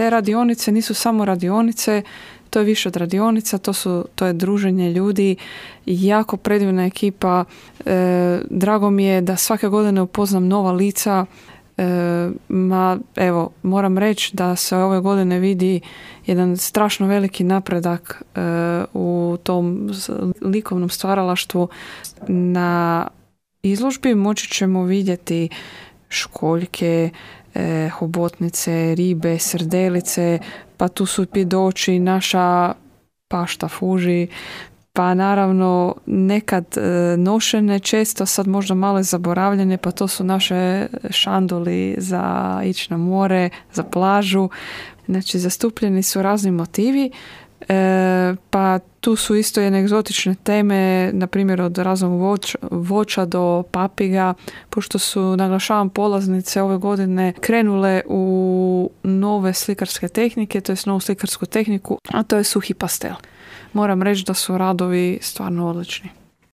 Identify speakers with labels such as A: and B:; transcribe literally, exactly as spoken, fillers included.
A: te radionice nisu samo radionice, to je više od radionica, to, su, to je druženje ljudi, jako predivna ekipa. E, drago mi je da svake godine upoznam nova lica. E, ma, evo, moram reći da se ove godine vidi jedan strašno veliki napredak e, u tom likovnom stvaralaštvu. Na izložbi moći ćemo vidjeti školjke, e, hobotnice, ribe, srdelice, pa tu su pidoći, naša pašta fuži, pa naravno nekad e, nošene, često sad možda malo zaboravljene, pa to su naše šanduli za ići na more, za plažu. Znači zastupljeni su razni motivi, e, pa tu su isto jedne egzotične teme, na primjer od raznog voća, voća do papiga, pošto su, naglašavam, polaznice ove godine krenule u nove slikarske tehnike, to je novu slikarsku tehniku, a to je suhi pastel. Moram reći da su radovi stvarno odlični.